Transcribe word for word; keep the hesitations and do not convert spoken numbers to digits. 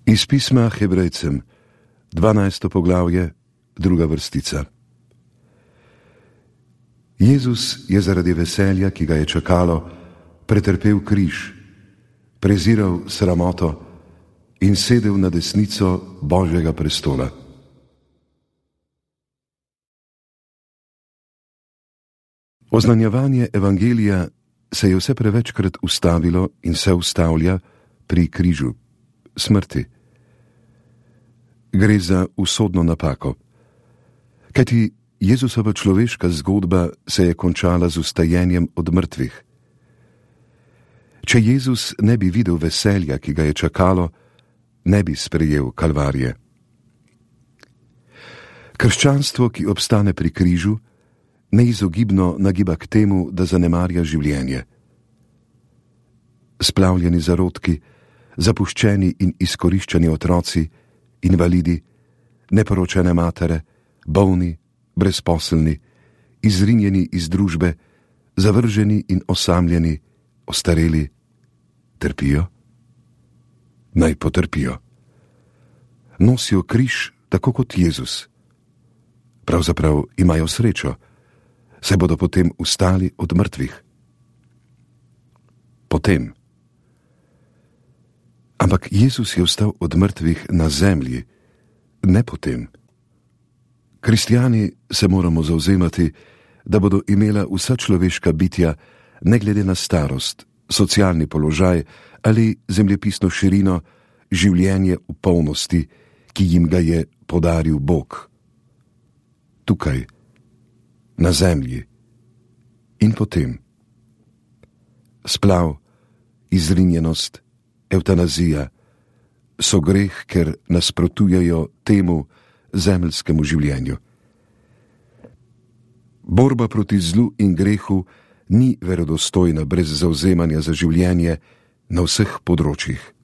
Iz pisma Hebrejcem, dvanajsto poglavje, druga vrstica. Jezus je zaradi veselja, ki ga je čakalo, pretrpel križ, preziral sramoto in sedel na desnico Božjega prestola. Oznanjevanje evangelija se je vse prevečkrat ustavilo in se ustavlja pri križu, smrti. Gre za usodno napako. Kajti Jezusova človeška zgodba se je končala z vstajenjem od mrtvih. Če Jezus ne bi videl veselja, ki ga je čakalo, ne bi sprejel kalvarije. Krščanstvo, ki obstane pri križu, neizogibno nagiba k temu, da zanemarja življenje. Splavljeni zarodki, zapuščeni in izkoriščeni otroci, invalidi, neporočene matere, bolni, brezposelni, izrinjeni iz družbe, zavrženi in osamljeni, ostareli, trpijo? Naj potrpijo. Nosijo križ tako kot Jezus. Pravzaprav imajo srečo, saj bodo potem vstali od mrtvih. Potem. Ampak Jezus je vstal od mrtvih na zemlji, ne potem. Kristjani se moramo zavzemati, da bodo imela vsa človeška bitja, ne glede na starost, socialni položaj ali zemljepisno širino, življenje v polnosti, ki jim ga je podaril Bog. Tukaj, na zemlji in potem. Splav, izrinjenost, evtanazija so greh, ker nasprotujejo temu zemeljskemu življenju. Borba proti zlu in grehu ni verodostojna brez zavzemanja za življenje na vseh področjih.